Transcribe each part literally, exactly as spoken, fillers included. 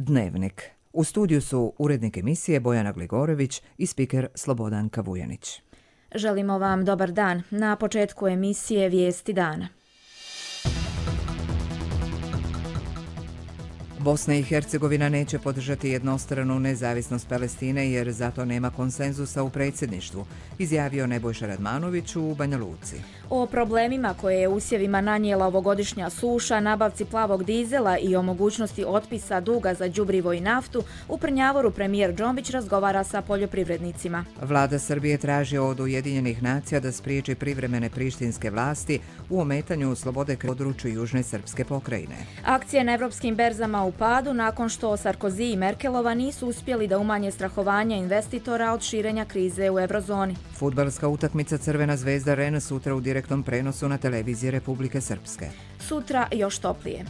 Dnevnik. U studiju su urednik emisije Bojana Gligorević i spiker Slobodanka Vujanić. Želimo vam dobar dan. Na početku emisije Vijesti dana. Bosna i Hercegovina neće podržati jednostranu nezavisnost Palestine jer zato nema konsenzusa u predsjedništvu, izjavio Nebojša Radmanović u Banja Luci. O problemima koje je usjevima nanijela ovogodišnja suša, nabavci plavog dizela i o mogućnosti otpisa duga za đubrivo i naftu, u Prnjavoru premijer Džombić razgovara sa poljoprivrednicima. Vlada Srbije traži od Ujedinjenih nacija da spriječi privremene prištinske vlasti u ometanju slobode kretanja na području južne srpske pokrajine. Akcije na evropskim berzama u padu nakon što Sarkozy i Merkelova nisu uspjeli da umanje strahovanja investitora od širenja krize u eurozoni. Fudbalska utakmica Crvena zvezda Ren sutra u direktnom prenosu na televiziji Republike Srpske. Sutra još toplije.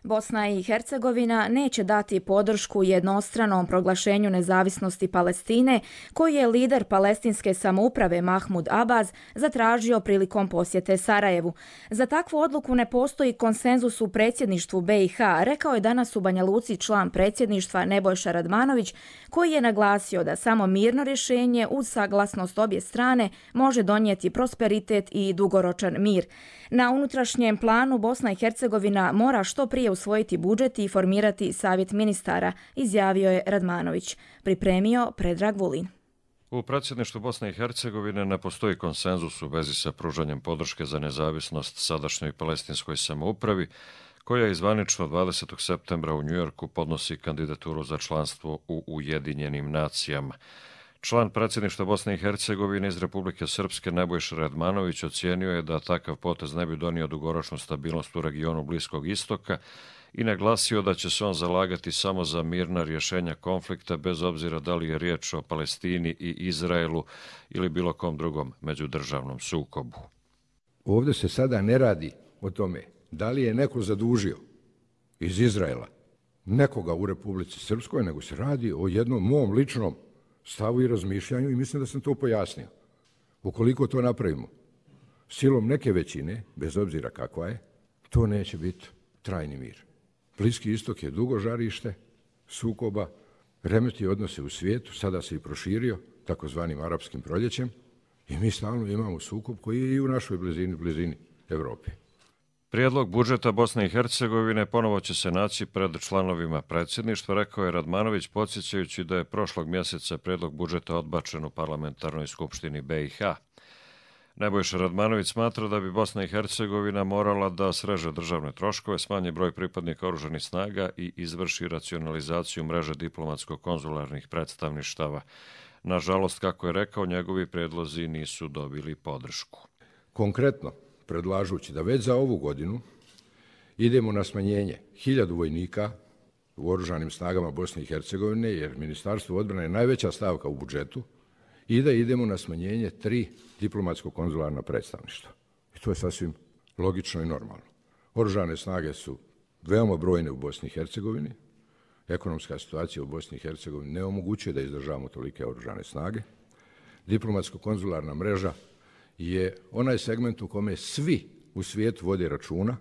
Bosna i Hercegovina neće dati podršku jednostranom proglašenju nezavisnosti Palestine, koji je lider palestinske samouprave Mahmud Abbas zatražio prilikom posjete Sarajevu. Za takvu odluku ne postoji konsenzus u predsjedništvu B i H, rekao je danas u Banja Luci član predsjedništva Nebojša Radmanović, koji je naglasio da samo mirno rješenje uz saglasnost obje strane može donijeti prosperitet i dugoročan mir. Na unutrašnjem planu Bosna i Hercegovina mora što prije usvojiti budžet i formirati savjet ministara, izjavio je Radmanović. Pripremio Predrag Vulin. U predsjedništvu Bosne i Hercegovine ne postoji konsenzus u vezi sa pružanjem podrške za nezavisnost sadašnjoj palestinskoj samoupravi, koja izvanično dvadesetog septembra u Njujorku podnosi kandidaturu za članstvo u Ujedinjenim nacijama. Član predsjedništva Bosne i Hercegovine iz Republike Srpske Nebojša Radmanović ocijenio je da takav potez ne bi donio dugoročnu stabilnost u regionu Bliskog istoka i naglasio da će se on zalagati samo za mirna rješenja konflikta bez obzira da li je riječ o Palestini i Izraelu ili bilo kom drugom međudržavnom sukobu. Ovdje se sada ne radi o tome da li je neko zadužio iz Izraela nekoga u Republici Srpskoj, nego se radi o jednom mom ličnom stavu i razmišljanju i mislim da sam to pojasnio. Ukoliko to napravimo silom neke većine, bez obzira kakva je, to neće biti trajni mir. Bliski istok je dugo žarište sukoba, remeti odnose u svijetu, sada se i proširio takozvanim arapskim proljećem i mi stalno imamo sukob koji je i u našoj blizini, blizini Evrope. Prijedlog budžeta Bosne i Hercegovine ponovo će se naći pred članovima predsjedništva, rekao je Radmanović, podsjećajući da je prošlog mjeseca prijedlog budžeta odbačen u parlamentarnoj skupštini B i H. Nebojša Radmanović smatra da bi Bosna i Hercegovina morala da sreže državne troškove, smanji broj pripadnika oružanih snaga i izvrši racionalizaciju mreže diplomatsko-konzularnih predstavništava. Nažalost, kako je rekao, njegovi prijedlozi nisu dobili podršku. Konkretno, predlažući da već za ovu godinu idemo na smanjenje hiljadu vojnika u oružanim snagama Bosne i Hercegovine, jer Ministarstvo odbrane je najveća stavka u budžetu, i da idemo na smanjenje tri diplomatsko-konzularna predstavništva. I to je sasvim logično i normalno. Oružane snage su veoma brojne u Bosni i Hercegovini. Ekonomska situacija u Bosni i Hercegovini ne omogućuje da izdržavamo tolike oružane snage. Diplomatsko-konzularna mreža je onaj segment u kome svi u svijetu vode računa,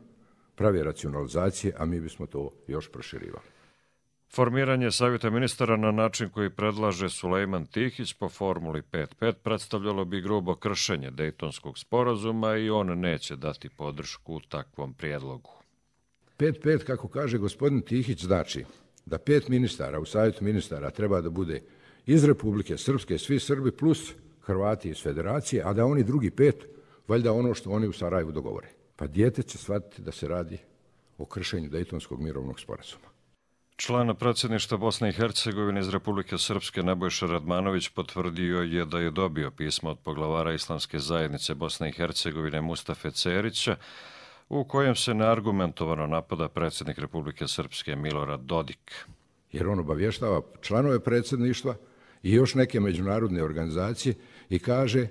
prave racionalizacije, a mi bismo to još proširivali. Formiranje savjeta ministara na način koji predlaže Sulejman Tihić po formuli pet pet predstavljalo bi grubo kršenje Dejtonskog sporazuma i on neće dati podršku takvom prijedlogu. pet pet, kako kaže gospodin Tihić, znači da pet ministara u savjetu ministara treba da bude iz Republike Srpske, svi Srbi plus Hrvati iz Federacije, a da oni drugi pet, valjda ono što oni u Sarajevu dogovore. Pa dijete će shvatiti da se radi o kršenju Dejtonskog mirovnog sporazuma. Član predsjedništva Bosne i Hercegovine iz Republike Srpske Nebojša Radmanović potvrdio je da je dobio pismo od poglavara Islamske zajednice Bosne i Hercegovine Mustafe Cerića, u kojem se neargumentovano napada predsjednik Republike Srpske Milorad Dodik. Jer on obavještava članove predsjedništva i još neke međunarodne organizacije i kaže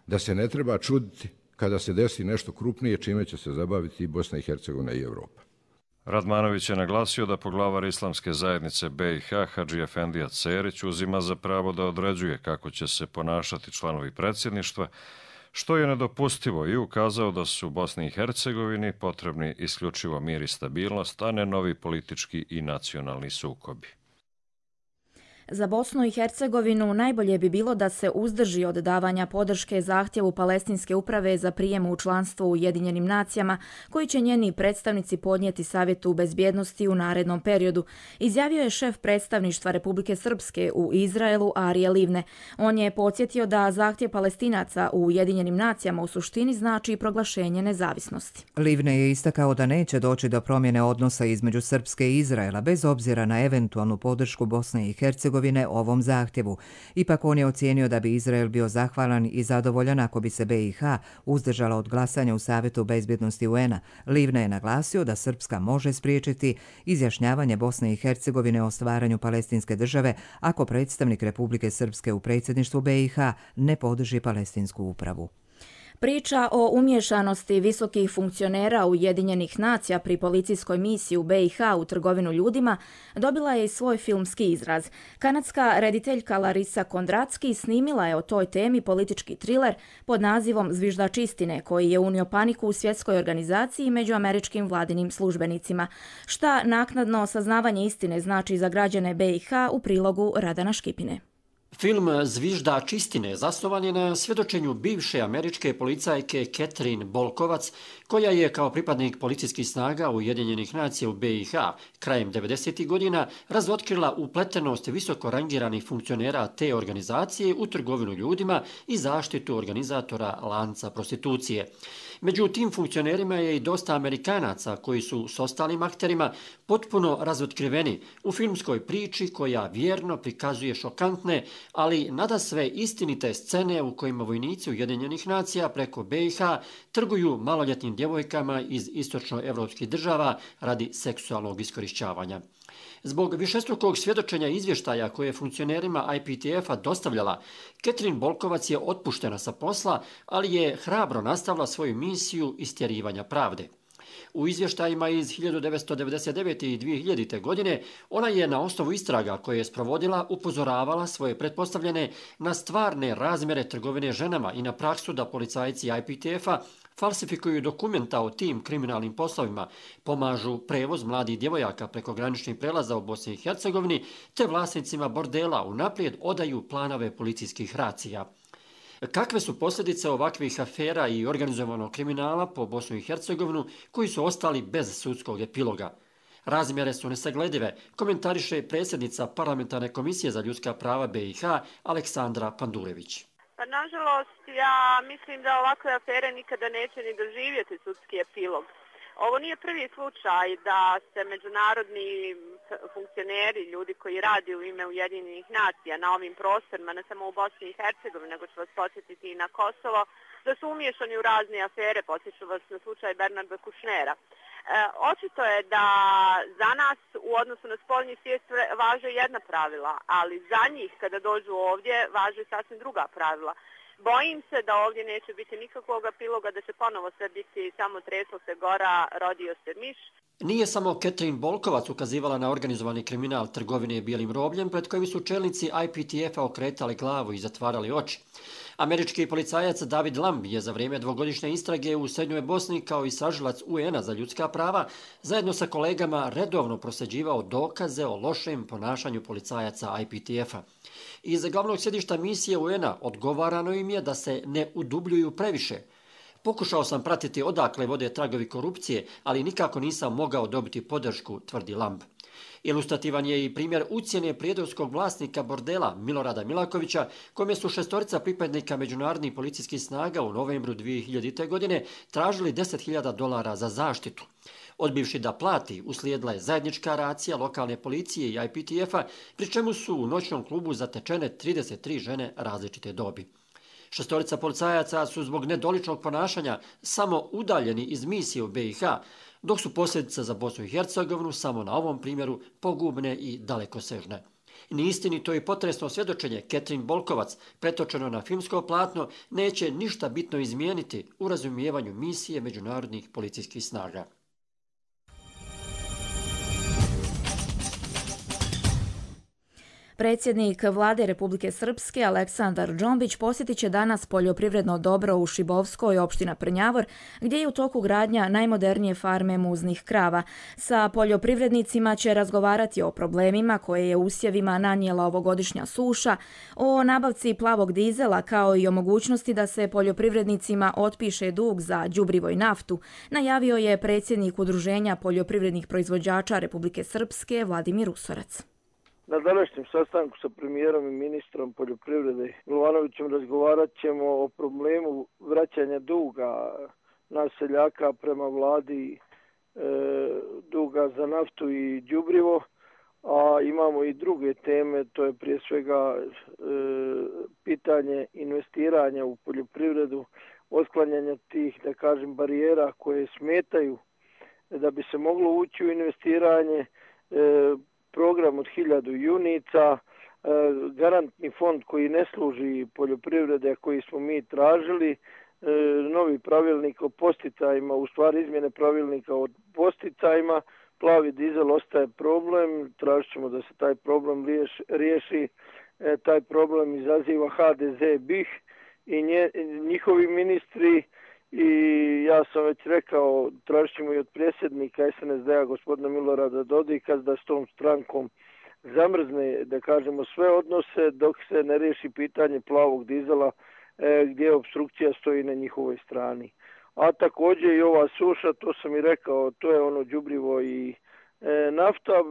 da se ne treba čuditi kada se desi nešto krupnije čime će se zabaviti i Bosna i Hercegovina i Evropa. Radmanović je naglasio da poglavar Islamske zajednice B i H Hadži Efendija Cerić uzima za pravo da određuje kako će se ponašati članovi predsjedništva, što je nedopustivo i ukazao da su Bosni i Hercegovini potrebni isključivo mir i stabilnost, a ne novi politički i nacionalni sukobi. Za Bosnu i Hercegovinu najbolje bi bilo da se uzdrži od davanja podrške zahtjevu palestinske uprave za prijem u članstvo u Ujedinjenim nacijama, koji će njeni predstavnici podnijeti Savjetu bezbjednosti u narednom periodu, izjavio je šef predstavništva Republike Srpske u Izraelu Arije Livne. On je podsjetio da zahtjev Palestinaca u Ujedinjenim nacijama u suštini znači proglašenje nezavisnosti. Livne je istakao da neće doći do promjene odnosa između Srpske i Izraela bez obzira na eventualnu podršku Bosne i Hercegovine ovom zahtjevu. Ipak on je ocijenio da bi Izrael bio zahvalan i zadovoljan ako bi se B i H uzdržala od glasanja u Savjetu bezbjednosti U N-a. Livne je naglasio da Srpska može spriječiti izjašnjavanje Bosne i Hercegovine o stvaranju palestinske države ako predstavnik Republike Srpske u predsjedništvu B i H ne podrži palestinsku upravu. Priča o umješanosti visokih funkcionera Ujedinjenih nacija pri policijskoj misiji u B i H u trgovinu ljudima dobila je i svoj filmski izraz. Kanadska rediteljka Larisa Kondratski snimila je o toj temi politički triler pod nazivom Zviždač istine, koji je unio paniku u svjetskoj organizaciji među američkim vladinim službenicima. Šta naknadno saznavanje istine znači za građane B i H u prilogu Radana Škipine. Film Zviždač istine zasnovan je na svjedočenju bivše američke policajke Catherine Bolkovac, koja je kao pripadnik policijskih snaga Ujedinjenih nacija u B i H krajem devedesetih godina razotkrila upletenost visoko rangiranih funkcionera te organizacije u trgovinu ljudima i zaštitu organizatora lanca prostitucije. Među tim funkcionerima je i dosta Amerikanaca koji su s ostalim akterima potpuno razotkriveni u filmskoj priči koja vjerno prikazuje šokantne, ali nadasve istinite scene u kojima vojnici Ujedinjenih nacija preko B i H trguju maloljetnim djevojkama iz istočnoevropskih država radi seksualnog iskorišćavanja. Zbog višestrukog svjedočenja izvještaja koje je funkcionerima I P T F-a dostavljala, Catherine Bolkovac je otpuštena sa posla, ali je hrabro nastavila svoju misiju istjerivanja pravde. U izvještajima iz hiljadu devetsto devedeset devete. i dvije hiljadite. godine ona je na osnovu istraga koje je sprovodila upozoravala svoje pretpostavljene na stvarne razmjere trgovine ženama i na praksu da policajci I P T F-a falsifikuju dokumenta o tim kriminalnim poslovima, pomažu prevoz mladih djevojaka preko graničnih prelaza u Bosni i Hercegovini, te vlasnicima bordela unaprijed odaju planove policijskih racija. Kakve su posljedice ovakvih afera i organizovanog kriminala po Bosnu i Hercegovinu koji su ostali bez sudskog epiloga? Razmjere su nesagledive, komentariše predsjednica Parlamentarne komisije za ljudska prava B i H Aleksandra Pandurević. Pa nažalost, ja mislim da ovakve afere nikada neće ni doživjeti sudski epilog. Ovo nije prvi slučaj da se međunarodni funkcioneri, ljudi koji radi u ime Ujedinjenih nacija na ovim prostorima, ne samo u Bosni i Hercegovini, nego ću vas podsjetiti i na Kosovo, da su umiješani u razne afere, podsjeću vas na slučaj Bernarda Kušnera. E, očito je da za nas u odnosu na spoljni svijet važe jedna pravila, ali za njih kada dođu ovdje važe sasvim druga pravila. Bojim se da ovdje neće biti nikakvog epiloga, da će ponovo sve biti samo treslo se gora, rodio se miš. Nije samo Catherine Bolkovac ukazivala na organizovani kriminal trgovine bijelim robljem, pred kojim su čelnici I P T F-a okretali glavu i zatvarali oči. Američki policajac David Lamb je za vrijeme dvogodišnje istrage u Srednjoj Bosni kao istražilac U N-a za ljudska prava zajedno sa kolegama redovno prosljeđivao dokaze o lošem ponašanju policajaca I P T F-a. Iz glavnog sjedišta misije U N-a odgovarano im je da se ne udubljuju previše. Pokušao sam pratiti odakle vode tragovi korupcije, ali nikako nisam mogao dobiti podršku, tvrdi Lamb. Ilustrativan je i primjer ucjene prijedorskog vlasnika bordela Milorada Milakovića, kome su šestorica pripadnika međunarodnih policijskih snaga u novembru dvije hiljadite. godine tražili deset hiljada dolara za zaštitu. Odbivši da plati, uslijedila je zajednička racija lokalne policije i I P T F-a, pri čemu su u noćnom klubu zatečene trideset tri žene različite dobi. Šestorica policajaca su zbog nedoličnog ponašanja samo udaljeni iz misije u B i H, dok su posljedice za Bosnu i Hercegovinu samo na ovom primjeru pogubne i dalekosežne. Neistinito i potresno svjedočenje Catherine Bolkovac, pretočeno na filmsko platno, neće ništa bitno izmijeniti u razumijevanju misije međunarodnih policijskih snaga. Predsjednik vlade Republike Srpske Aleksandar Džombić posjetit će danas poljoprivredno dobro u Šibovskoj, opština Prnjavor, gdje je u toku gradnja najmodernije farme muznih krava. Sa poljoprivrednicima će razgovarati o problemima koje je usjevima nanijela ovogodišnja suša, o nabavci plavog dizela kao i o mogućnosti da se poljoprivrednicima otpiše dug za đubrivo i naftu, najavio je predsjednik Udruženja poljoprivrednih proizvođača Republike Srpske Vladimir Usorac. Na današnjem sastanku sa premijerom i ministrom poljoprivrede Milanovićem razgovarat ćemo o problemu vraćanja duga nas seljaka prema vladi, e, duga za naftu i đubrivo, a imamo i druge teme, to je prije svega e, pitanje investiranja u poljoprivredu, otklanjanja tih, da kažem, barijera koje smetaju da bi se moglo ući u investiranje, e, program od hiljadu junica, garantni fond koji ne služi poljoprivrede, koji smo mi tražili, novi pravilnik o posticajima, u stvari izmjene pravilnika o posticajima, plavi dizel ostaje problem, tražit ćemo da se taj problem riješi, taj problem izaziva ha de ze be i ha i nje, njihovi ministri. I ja sam već rekao, tražit ćemo i od predsjednika es en es de a gospodina Milorada Dodika da s tom strankom zamrzne, da kažemo, sve odnose dok se ne riješi pitanje plavog dizela e, gdje opstrukcija stoji na njihovoj strani. A također i ova suša, to sam i rekao, to je ono đubrivo i e, nafta,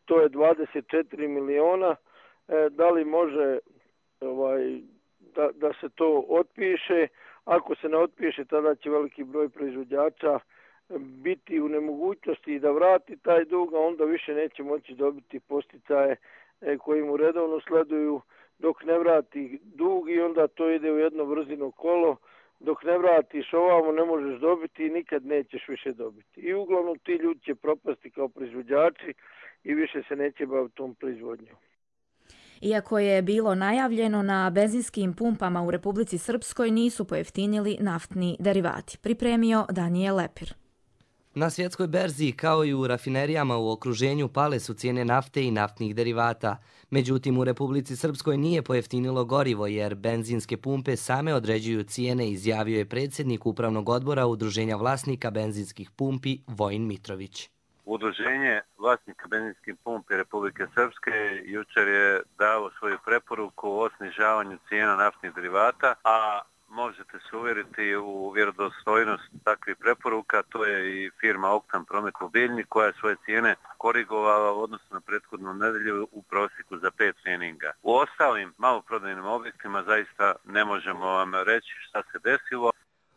to je dvadeset četiri miliona, e, da li može ovaj, da, da se to otpiše. Ako se ne otpiše, tada će veliki broj proizvođača biti u nemogućnosti da vrati taj dug, a onda više neće moći dobiti posticaje koji mu redovno sleduju dok ne vrati dug i onda to ide u jedno vrzino kolo. Dok ne vratiš ovamo ne možeš dobiti i nikad nećeš više dobiti. I uglavnom ti ljudi će propasti kao proizvođači i više se neće baviti tom proizvodnjom. Iako je bilo najavljeno, na benzinskim pumpama u Republici Srpskoj nisu pojeftinili naftni derivati. Pripremio Danijel Lepir. Na svjetskoj berzi kao i u rafinerijama u okruženju pale su cijene nafte i naftnih derivata. Međutim, u Republici Srpskoj nije pojeftinilo gorivo jer benzinske pumpe same određuju cijene, izjavio je predsjednik Upravnog odbora Udruženja vlasnika benzinskih pumpi Vojin Mitrović. Udruženje vlasnika benzinskih pumpi Republike Srpske jučer je dalo svoju preporuku o snižavanju cijena naftnih derivata, a možete se uvjeriti u vjerodostojnost takvih preporuka. To je i firma Oktan Promet Mobilni koja je svoje cijene korigovala u odnosu na prethodnu nedelju u prosjeku za pet pfeninga. U ostalim maloprodajnim objektima zaista ne možemo vam reći šta se desilo.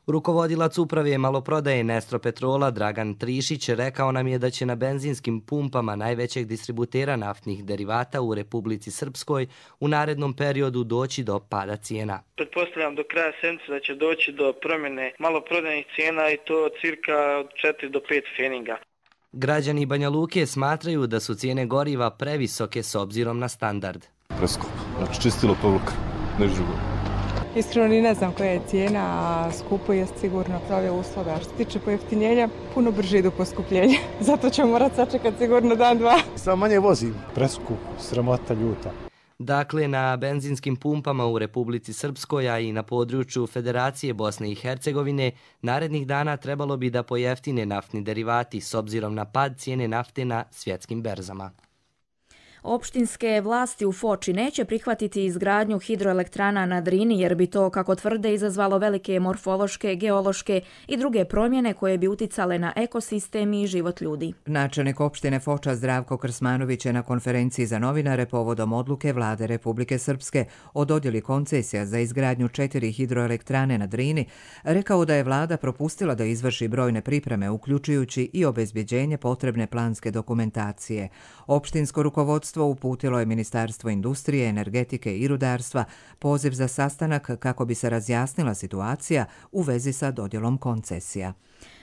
Rukovodilac uprave maloprodaje Nestro Petrola Dragan Trišić rekao nam je da će na benzinskim pumpama najvećeg distributera naftnih derivata u Republici Srpskoj u narednom periodu doći do pada cijena. Pretpostavljam do kraja sedmice da će doći do promjene maloprodajnih cijena i to cirka od četiri do pet pfeninga. Građani Banja Luke smatraju da su cijene goriva previsoke s obzirom na standard. Preskupo, znači čistilo povluka, nešto drugo. Iskreno ni ne znam koja je cijena, a skupo je sigurno ove uslove. A što se tiče pojeftinjenja, puno brže idu poskupljenje. Zato ćemo morati sačekati sigurno dan, dva. Samo manje vozim, preskup, sramota ljuta. Dakle, na benzinskim pumpama u Republici Srpskoj, a i na području Federacije Bosne i Hercegovine, narednih dana trebalo bi da pojeftine naftni derivati s obzirom na pad cijene nafte na svjetskim berzama. Opštinske vlasti u Foči neće prihvatiti izgradnju hidroelektrana na Drini jer bi to, kako tvrde, izazvalo velike morfološke, geološke i druge promjene koje bi uticale na ekosistem i život ljudi. Načelnik opštine Foča Zdravko Krsmanović je na konferenciji za novinare povodom odluke vlade Republike Srpske o dodjeli koncesija za izgradnju četiri hidroelektrane na Drini rekao da je vlada propustila da izvrši brojne pripreme, uključujući i obezbjeđenje potrebne planske dokumentacije. Opštinsko rukovodstvo uputilo je Ministarstvo industrije, energetike i rudarstva poziv za sastanak kako bi se razjasnila situacija u vezi sa dodjelom koncesija.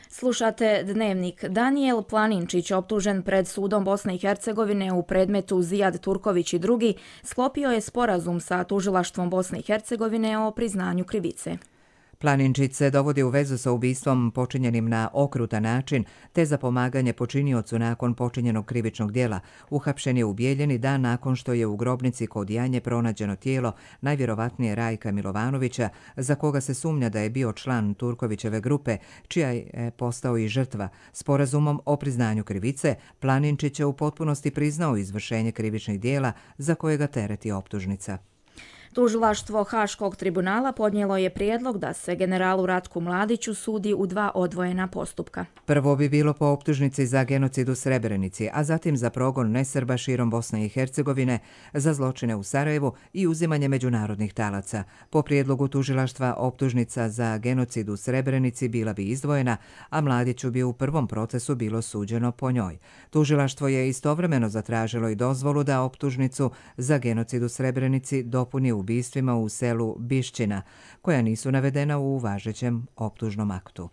Slušate Dnevnik. Danijel Planinčić, optužen pred sudom Bosne i Hercegovine u predmetu Zijad Turković i drugi, sklopio je sporazum sa tužilaštvom Bosne i Hercegovine o priznanju krivice. Planinčić se dovodi u vezu sa ubistvom počinjenim na okrutan način, te za pomaganje počiniocu nakon počinjenog krivičnog djela. Uhapšen je u Bijeljini dan nakon što je u grobnici kod Janje pronađeno tijelo najvjerovatnije Rajka Milovanovića, za koga se sumnja da je bio član Turkovićeve grupe, čija je postao i žrtva. Sporazumom o priznanju krivice, Planinčić je u potpunosti priznao izvršenje krivičnih djela za koje ga tereti optužnica. Tužilaštvo Haškog tribunala podnijelo je prijedlog da se generalu Ratku Mladiću sudi u dva odvojena postupka. Prvo bi bilo po optužnici za genocid u Srebrenici, a zatim za progon nesrba širom Bosne i Hercegovine, za zločine u Sarajevu i uzimanje međunarodnih talaca. Po prijedlogu tužilaštva optužnica za genocid u Srebrenici bila bi izdvojena, a Mladiću bi u prvom procesu bilo suđeno po njoj. Tužilaštvo je istovremeno zatražilo i dozvolu da optužnicu za genocid u Srebrenici dopuni ubistvima u selu Bišćina, koja nisu navedena u važećem optužnom aktu.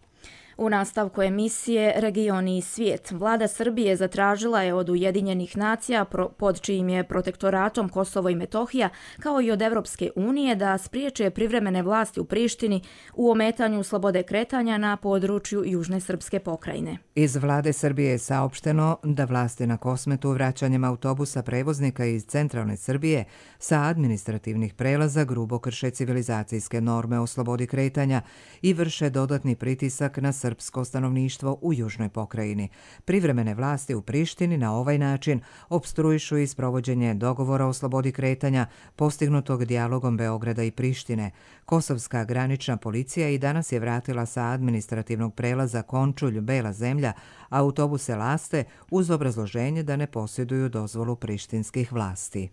U nastavku emisije Regioni i svijet, vlada Srbije zatražila je od Ujedinjenih nacija pod čijim je protektoratom Kosovo i Metohija, kao i od Evropske unije da spriječe privremene vlasti u Prištini u ometanju slobode kretanja na području Južne srpske pokrajine. Iz vlade Srbije je saopšteno da vlasti na Kosmetu vraćanjem autobusa prevoznika iz centralne Srbije sa administrativnih prelaza grubo krše civilizacijske norme o slobodi kretanja i vrše dodatni pritisak na srpsko stanovništvo u južnoj pokrajini. Privremene vlasti u Prištini na ovaj način opstruišu i sprovođenje dogovora o slobodi kretanja postignutog dijalogom Beograda i Prištine. Kosovska granična policija i danas je vratila sa administrativnog prelaza Končulj Bela zemlja autobuse Laste uz obrazloženje da ne posjeduju dozvolu prištinskih vlasti.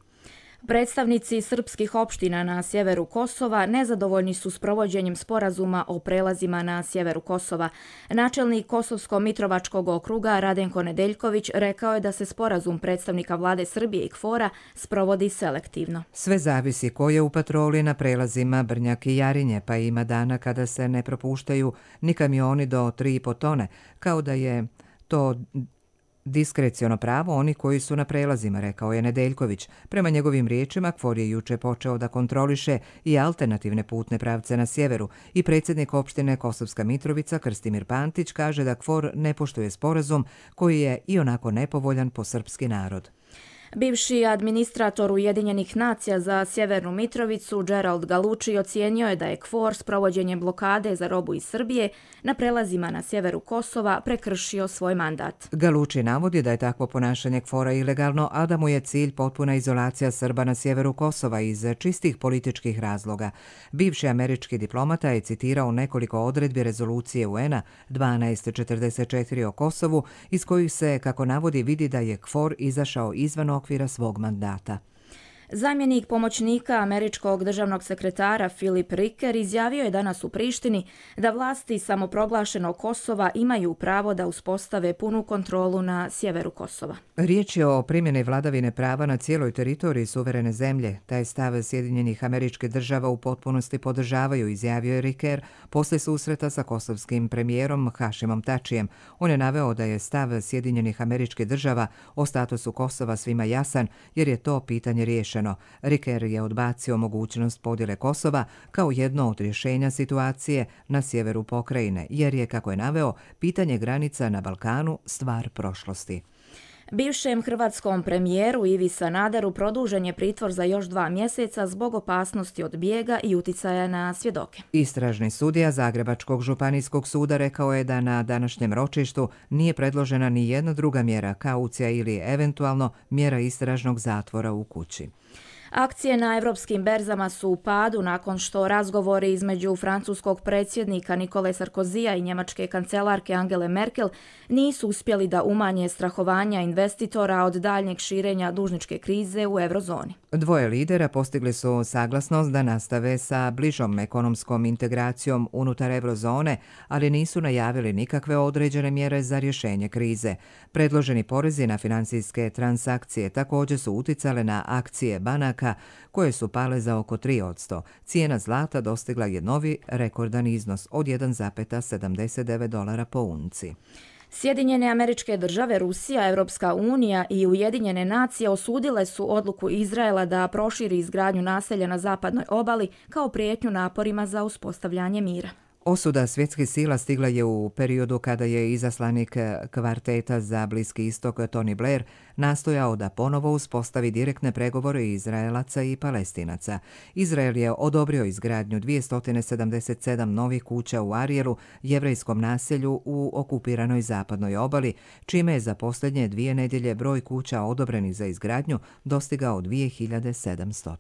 Predstavnici srpskih opština na sjeveru Kosova nezadovoljni su s provođenjem sporazuma o prelazima na sjeveru Kosova. Načelnik Kosovsko-Mitrovačkog okruga Radenko Nedeljković rekao je da se sporazum predstavnika vlade Srbije i KFOR-a sprovodi selektivno. Sve zavisi ko je u patroli na prelazima Brnjak i Jarinje, pa ima dana kada se ne propuštaju ni kamioni do tri i po tone, kao da je to diskreciono pravo oni koji su na prelazima, rekao je Nedeljković. Prema njegovim riječima, KFOR je juče počeo da kontroliše i alternativne putne pravce na sjeveru i predsjednik opštine Kosovska Mitrovica Krstimir Pantić kaže da KFOR ne poštuje sporazum koji je i onako nepovoljan po srpski narod. Bivši administrator Ujedinjenih nacija za Sjevernu Mitrovicu, Gerald Galucci, ocijenio je da je KFOR s provođenjem blokade za robu iz Srbije na prelazima na sjeveru Kosova prekršio svoj mandat. Galucci navodi da je takvo ponašanje KFOR-a ilegalno, a da mu je cilj potpuna izolacija Srba na sjeveru Kosova iz čistih političkih razloga. Bivši američki diplomata je citirao nekoliko odredbi rezolucije U N-a dvanaest četrdeset četiri o Kosovu, iz kojih se, kako navodi, vidi da je KFOR izašao izvan okvira svog mandata. Zamjenik pomoćnika američkog državnog sekretara Filip Riker izjavio je danas u Prištini da vlasti samoproglašenog Kosova imaju pravo da uspostave punu kontrolu na sjeveru Kosova. Riječ je o primjeni vladavine prava na cijeloj teritoriji suverene zemlje. Taj stav Sjedinjenih Američkih Država u potpunosti podržavaju, izjavio je Riker posle susreta sa kosovskim premijerom Hašimom Tačijem. On je naveo da je stav Sjedinjenih Američkih Država o statusu Kosova svima jasan, jer je to pitanje riješeno. Riker je odbacio mogućnost podjele Kosova kao jedno od rješenja situacije na sjeveru pokrajine, jer je, kako je naveo, pitanje granica na Balkanu stvar prošlosti. Bivšem hrvatskom premijeru Ivi Sanaderu produžen je pritvor za još dva mjeseca zbog opasnosti od bijega i uticaja na svjedoke. Istražni sudija Zagrebačkog županijskog suda rekao je da na današnjem ročištu nije predložena ni jedna druga mjera, kaucija ili eventualno mjera istražnog zatvora u kući. Akcije na evropskim berzama su u padu nakon što razgovori između francuskog predsjednika Nikole Sarkozija i njemačke kancelarke Angele Merkel nisu uspjeli da umanje strahovanja investitora od daljnjeg širenja dužničke krize u eurozoni. Dvoje lidera postigli su saglasnost da nastave sa bližom ekonomskom integracijom unutar eurozone, ali nisu najavili nikakve određene mjere za rješenje krize. Predloženi porezi na financijske transakcije također su uticale na akcije banaka koje su pale za oko tri posto. Cijena zlata dostigla je novi rekordan iznos od jedan zarez sedamdeset devet dolara po unci. Sjedinjene Američke Države, Rusija, Europska unija i Ujedinjene nacije osudile su odluku Izraela da proširi izgradnju naselja na zapadnoj obali kao prijetnju naporima za uspostavljanje mira. Osuda svjetskih sila stigla je u periodu kada je izaslanik kvarteta za Bliski istok Tony Blair nastojao da ponovo uspostavi direktne pregovore Izraelaca i Palestinaca. Izrael je odobrio izgradnju dvjesto sedamdeset sedam novih kuća u Arijelu, jevrejskom naselju u okupiranoj zapadnoj obali, čime je za posljednje dvije nedjelje broj kuća odobrenih za izgradnju dostigao dvije hiljade sedamsto.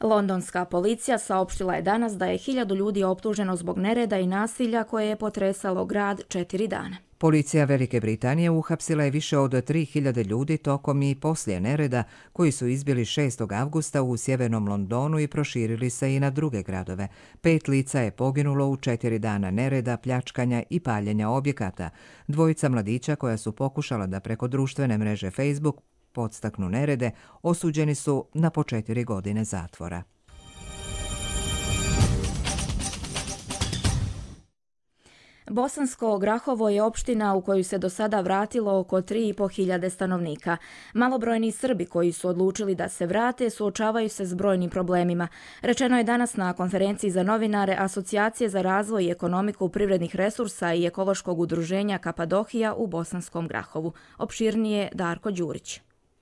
Londonska policija saopštila je danas da je hiljadu ljudi optuženo zbog nereda i nasilja koje je potresalo grad četiri dana. Policija Velike Britanije uhapsila je više od tri hiljade ljudi tokom i poslije nereda koji su izbili šestog avgusta u sjevernom Londonu i proširili se i na druge gradove. Pet lica je poginulo u četiri dana nereda, pljačkanja i paljenja objekata. Dvojica mladića koja su pokušala da preko društvene mreže Facebook podstaknu nerede, osuđeni su na po četiri godine zatvora. Bosansko Grahovo je opština u koju se do sada vratilo oko tri i po hiljade stanovnika. Malobrojni Srbi koji su odlučili da se vrate suočavaju se s brojnim problemima. Rečeno je danas na konferenciji za novinare Asocijacije za razvoj i ekonomiku privrednih resursa i ekološkog udruženja Kapadohija u Bosanskom Grahovu. Opširnije Darko Đurić.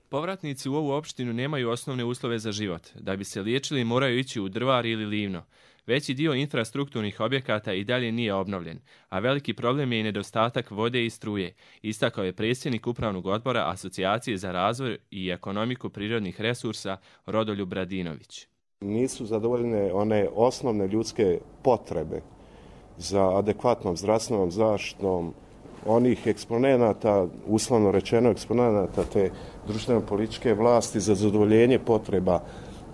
Povratnici u ovu opštinu nemaju osnovne uslove za život. Da bi se liječili moraju ići u Drvar ili Livno. Veći dio infrastrukturnih objekata i dalje nije obnovljen, a veliki problem je i nedostatak vode i struje, istakao je predsjednik Upravnog odbora Asocijacije za razvoj i ekonomiku prirodnih resursa Rodoljub Radinović. Nisu zadovoljene one osnovne ljudske potrebe za adekvatnom zdravstvenom zaštitom onih eksponenata, uslovno rečeno eksponenata te društveno-političke vlasti za zadovoljenje potreba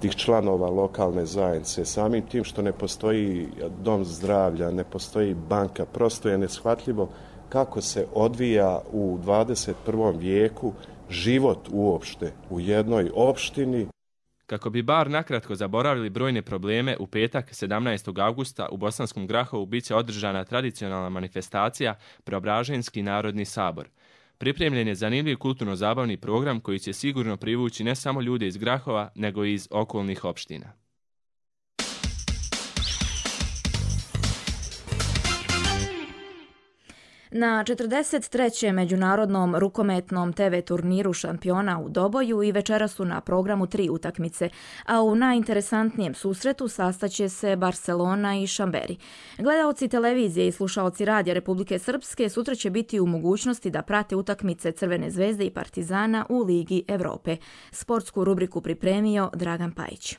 tih članova lokalne zajednice. Samim tim što ne postoji dom zdravlja, ne postoji banka, prosto je neshvatljivo kako se odvija u dvadeset prvom vijeku život uopšte u jednoj opštini. Kako bi bar nakratko zaboravili brojne probleme, u petak sedamnaestog avgusta u Bosanskom Grahovu bit će održana tradicionalna manifestacija Preobraženski narodni sabor. Pripremljen je zanimljiv kulturno-zabavni program koji će sigurno privući ne samo ljude iz Grahova, nego i iz okolnih opština. Na četrdeset trećem međunarodnom rukometnom te ve turniru šampiona u Doboju i večeras su na programu tri utakmice, a u najinteresantnijem susretu sastaće se Barcelona i Chambéry. Gledaoci televizije i slušaoci radija Republike Srpske sutra će biti u mogućnosti da prate utakmice Crvene zvezde i Partizana u Ligi Evrope. Sportsku rubriku pripremio Dragan Pajić.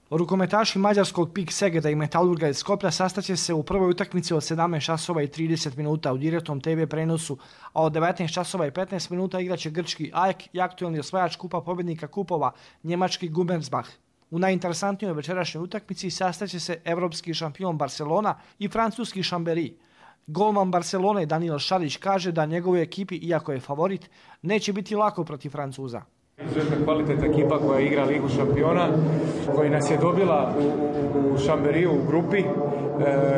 Rukometaši mađarskog Pik Segeda i Metalurga iz Skoplja sastaće se u prvoj utakmici od sedamnaest časova i trideset minuta u direktnom te ve prenosu, a od devetnaest časova i petnaest minuta igraće grčki A E K i aktuelni osvajač kupa pobjednika kupova, njemački Gummersbach. U najinteresantnijoj večerašnjoj utakmici sastaće se evropski šampion Barcelona i francuski Chambéry. Golman Barcelone Daniel Šarić kaže da njegovoj ekipi, iako je favorit, neće biti lako protiv Francuza. Izuzetno kvalitetna ekipa koja igra Ligu šampiona, koja nas je dobila u, u, u Chambéryu u grupi. E,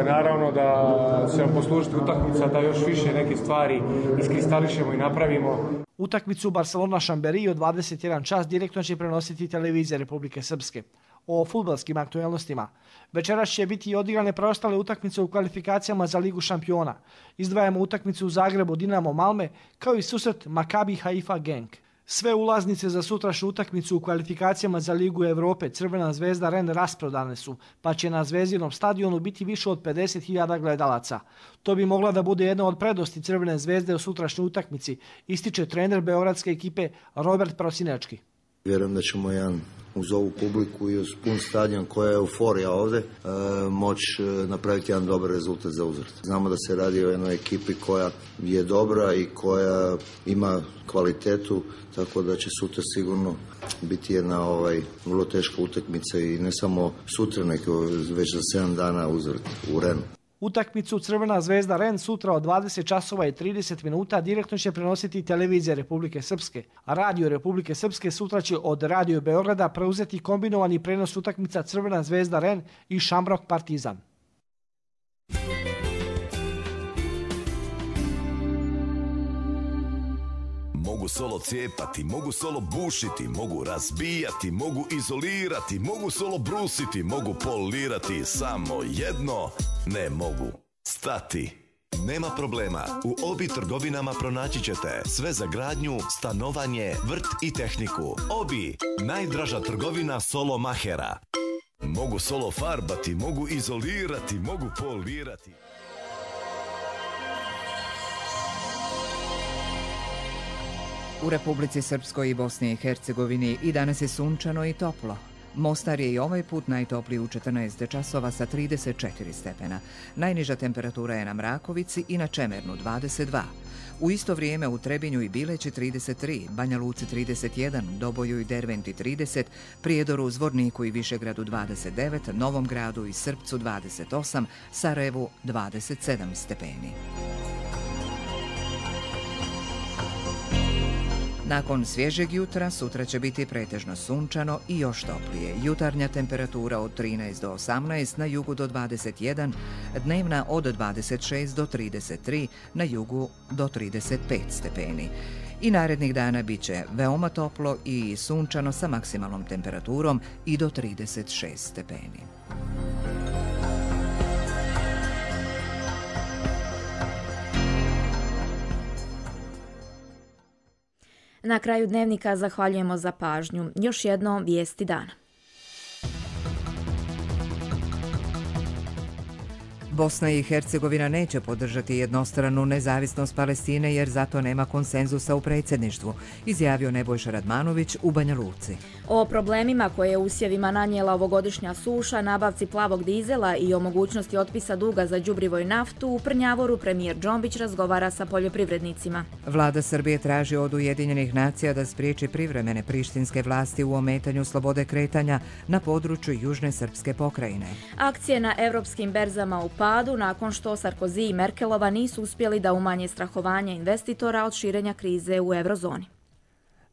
naravno da će nam poslužiti utakmica da još više neke stvari iskristališemo i napravimo. Utakmicu Barcelona-Chambéry od dvadeset jedan čas direktno će prenositi televizija Republike Srpske. O fudbalskim aktuelnostima. Večeras će biti odigrane preostale utakmice u kvalifikacijama za Ligu šampiona. Izdvajamo utakmicu u Zagrebu Dinamo Malme, kao i susret Maccabi Haifa Genk. Sve ulaznice za sutrašnju utakmicu u kvalifikacijama za Ligu Evrope Crvena zvezda Ren rasprodane su, pa će na Zvezdinom stadionu biti više od pedeset hiljada gledalaca. To bi mogla da bude jedna od prednosti Crvene zvezde u sutrašnjoj utakmici, ističe trener beogradske ekipe Robert Prosinečki. Vjerujem da ćemo jedan uz ovu publiku i uz pun stadion koja je euforija ovdje e, moći napraviti jedan dobar rezultat za uzvrat. Znamo da se radi o jednoj ekipi koja je dobra i koja ima kvalitetu, tako da će sutra sigurno biti jedna ovaj, vrlo teška utakmica i ne samo sutra, nego već za sedam dana uzvrat u Renu. Utakmicu Crvena zvezda Ren sutra od dvadeset časova i trideset minuta direktno će prenositi televizija Republike Srpske, a Radio Republike Srpske sutra će od Radio Beograda preuzeti kombinovani prenos utakmica Crvena zvezda Ren i Šambrok Partizan. mogu solo cijepati, mogu solo bušiti, mogu razbijati, mogu izolirati, mogu solo brusiti, mogu polirati, samo jedno ne mogu stati. Nema problema, u Obi trgovinama pronaći ćete sve za gradnju, stanovanje, vrt i tehniku. Obi, najdraža trgovina solo mahera. Mogu solo farbati, mogu izolirati, mogu polirati. U Republici Srpskoj i Bosni i Hercegovini i danas je sunčano i toplo. Mostar je i ovaj put najtopliji u četrnaest časova sa trideset četiri stepena. Najniža temperatura je na Mrakovici i na Čemernu dvadeset dva. U isto vrijeme u Trebinju i Bileći trideset tri, Banja Luci trideset jedan, Doboju i Derventi trideset, Prijedoru, Zvorniku i Višegradu dvadeset devet, Novom Gradu i Srpcu dvadeset osam, Sarajevu dvadeset sedam stepeni. Nakon svježeg jutra, sutra će biti pretežno sunčano i još toplije. Jutarnja temperatura od trinaest do osamnaest, na jugu do dvadeset jedan, dnevna od dvadeset šest do trideset tri, na jugu do trideset pet stepeni. I narednih dana bit će veoma toplo i sunčano sa maksimalnom temperaturom i do trideset šest stepeni. Na kraju dnevnika zahvaljujemo za pažnju. Još jednom vijesti dana. Bosna i Hercegovina neće podržati jednostranu nezavisnost Palestine jer zato nema konsenzusa u predsjedništvu, izjavio Nebojša Radmanović u Banja Luci. O problemima koje je usjevima nanijela ovogodišnja suša, nabavci plavog dizela i o mogućnosti otpisa duga za đubrivo i naftu, u Prnjavoru premijer Džombić razgovara sa poljoprivrednicima. Vlada Srbije traži od Ujedinjenih nacija da spriječi privremene prištinske vlasti u ometanju slobode kretanja na području Južne srpske pokrajine. Akcije na evropskim berzama u padu nakon što Sarkozy i Merkelova nisu uspjeli da umanje strahovanje investitora od širenja krize u eurozoni.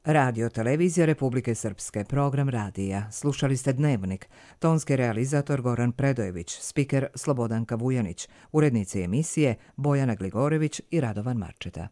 Radio televizija Republike Srpske, program radija. Slušali ste Dnevnik. Tonski realizator Goran Predojević, spiker Slobodanka Vujanić, urednici emisije Bojana Gligorević i Radovan Marčeta.